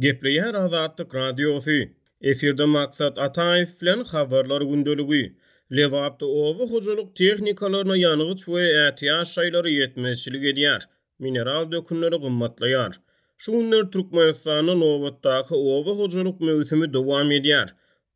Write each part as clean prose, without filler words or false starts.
Gepleýär Azatlyk Radiosy. Efirde Maksat Ataýew bilen Habarlar gündeligi. Lebapda oba hojalyk tehnikalaryna ýangyç we ätiýaç şaýlary ýetmezçilik edýär. Mineral dökünleri gymmatlaýar. Şu günler Türkmenistanda nobatdaky oba hojalyk möwsümi dowam edýär.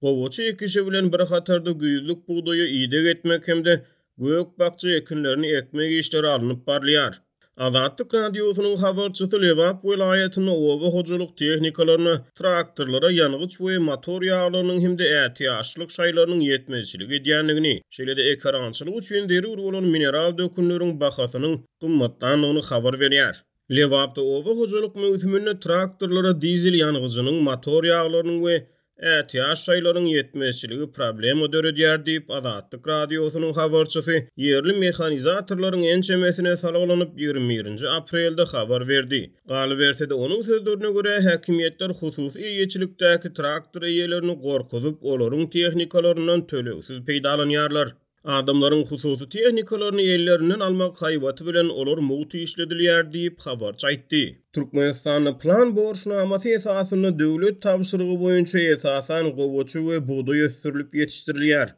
Gowaça ekişi bilen bir hatarda güýzlük bugdaýa ideg etmek hem-de gök-bakja ekinlerini ekmek işleri alnyp barylýar. Azatlyk Radiosynyň habarçysy Lebap welaýatynda oba hojalyk tehnikalaryna, traktorlara ýangyç we motor ýaglarynyň hem-de ätiýaçlyk şaýlarynyň ýetmezçilik edýändigini, şeýle-de ekerançylyk üçin zerur bolan mineral dökünleriň bahasynyň gymmatlandygyny habar berýär. Lebapda oba hojalyk möwsüminde traktorlara dizel ýangyjynyň, motor ýaglarynyň we ätiýaç şaýlaryň ýetmezçiligi problema döredýär diýip, Azatlyk Radiosynyň habarçysy ýerli mehanizatorlaryň ençemesine salgylanyp, 21-nji aprelde habar berdi. Galyberse-de, onuň sözlerine görä, häkimiýetler hususy eýeçilikdäki traktor eýelerini gorkuzyp, olaryň tehnikalaryndan tölegsiz peýdalanýarlar. Adamlaryň hususy tehnikalaryny ellerinden almak haýbaty bilen olar mugt işledilýär diýip, habarçy aýtdy. Türkmenistanda plan borçnamasy esasynda döwlet tabşyrygy boýunça esasan gowaça we bugdaý ösdürilip ýetişdirilýär.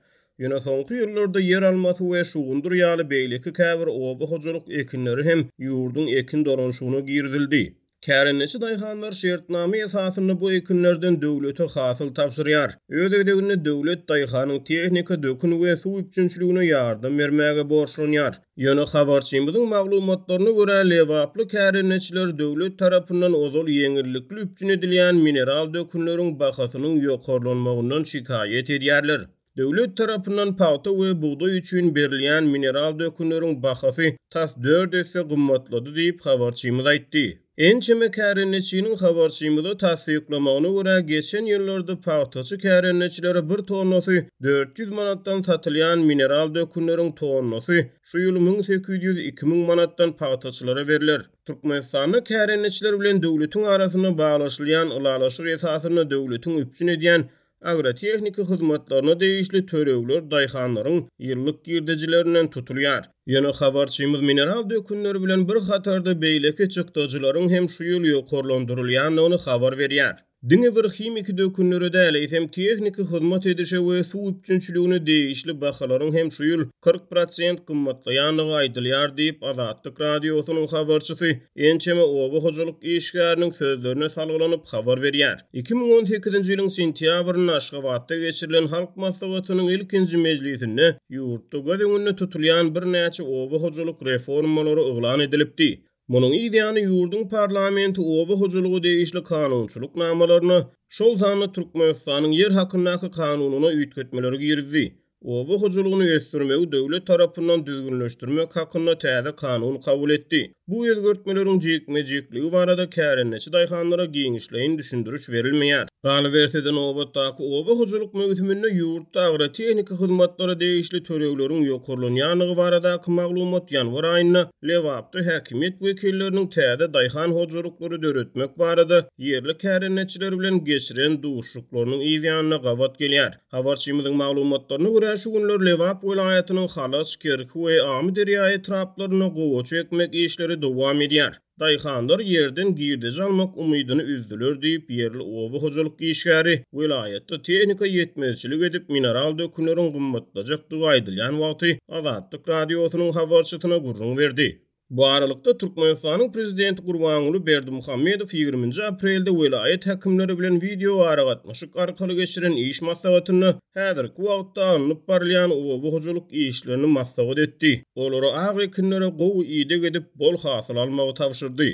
Ýöne soňky ýyllarda ýer almasy we şugundyr ýaly beýleki käbir oba hojalyk ekinleri hem ýurduň ekin dolanyşygyna girizildi. Kärendeçi daýhanlar şertnama esasynda bu ekinlerden döwlete hasyl tabşyrýar. Öz gezeginde döwlet daýhanyň tehnika, dökün we suw üpjünçiligine ýardam bermäge borçlanýar. Ýöne habarçymyzyň maglumatlaryna görä, lebaply kärendeçiler döwlet tarapyndan ozal ýeňillikli üpjün edilýän mineral dökünleriň bahasynyň ýokarlanmagyndan şikaýat edýärler. Döwlet tarapyndan pagta we bugdaý üçin berilýän mineral dökünleriň bahasy tas dört esse gymmatlady diýip, habarçymyz aýtdy. Ençeme kärendeçiniň habarçymyza tassyklamagyna görä, geçen ýyllarda pagtaçy kärendeçilere bir tonnasy 400 manatdan satylýan mineral dökünleriň tonnasy şu ýyl 1800, 2000 manatdan pagtaçylara berler. Türkmenistanda kärendeçiler bilen döwletiň arasynda baglaşylýan ylalaşyk esasynda döwletiň üpjün edýän Agrotehniki hyzmatlaryna degişli tölegler daýhanlaryň ýyllyk girdejilerinden tutulýar. Ýöne habarçymyz mineral dökünler bilen bir hatarda beýleki çykdajylaryň hem şu ýyl ýokarlandyrylýandygyny habar berýär. Diňe bir himiki dökünlere däl, eýsem tehniki hyzmat edişe we suw üpjünçiligine degişli bahalaryň hem şu ýyl 40 prosent gymmatlaýandygy aýdylýar diýip, Azatlyk Radiosynyň habarçysy ençeme oba hojalyk işgäriniň sözlerine salgylanyp habar berýär. 2018-nji ýylyň sentýabrynda Aşgabatda geçirilen Halk Maslahatynyň ilkinji mejlisinde ýurtda göz öňünde tutulýan birnäçe oba hojalyk reformalary yglan edilipdi. Munuň yz ýany ýurduň parlamenti oba hojalyga degişli kanunçylyk namalaryna, şol sanda Türkmenistanyň Ýer hakyndaky kanunyna üýtgetmeleri girizdi. Oba hojalygyny ösdürmegi döwlet tarapyndan düzgünleşdirmek hakynda täze kanun kabul etdi. Bu özgertmeleriň jikme-jikligi barada kärendeçi daýhanlara giňişleýin düşündiriş berilmeýär. Galyberse-de, nobatdaky oba hojalyk möwsüminde ýurtda agrotehniki hyzmatlara degişli tölegleriň ýokarlanýandygy baradaky maglumat ýanwar aýynda Lebapda häkimiýet wekilleriniň täze daýhan hojalyklary döretmek barada ýerli kärendeçiler bilen geçiren duşuşyklarynyň yzýanyna gabat gelýär. Habarçymyzyň maglumatlaryna görä, şu günler Lebap welaýatynyň Halaç, Kerki we Amyderýa etraplarynda gowaça ekmek işleri dowam edýär. Daýhanlar ýerden girdeji almak umydyny üzdüler diýip, ýerli oba hojalyk işgäri welaýatda tehnika ýetmezçilik edip, mineral dökünleriň gymmatlajakdygy aýdylýan wagty Azatlyk Radiosynyň habarçysyna gürrüň berdi. Bu aralykda, Türkmenistanyň prezidenti Gurbanguly Berdimuhamedow ýigriminji aprelde welaýat häkimleri bilen wideoaragatnaşyk arkaly geçiren iş maslahatynda häzirki wagtda alnyp barylýan oba hojalyk işlerini maslahat etdi, olara ak ekinlere gowy ideg edip, bol hasyl almagy tabşyrdy.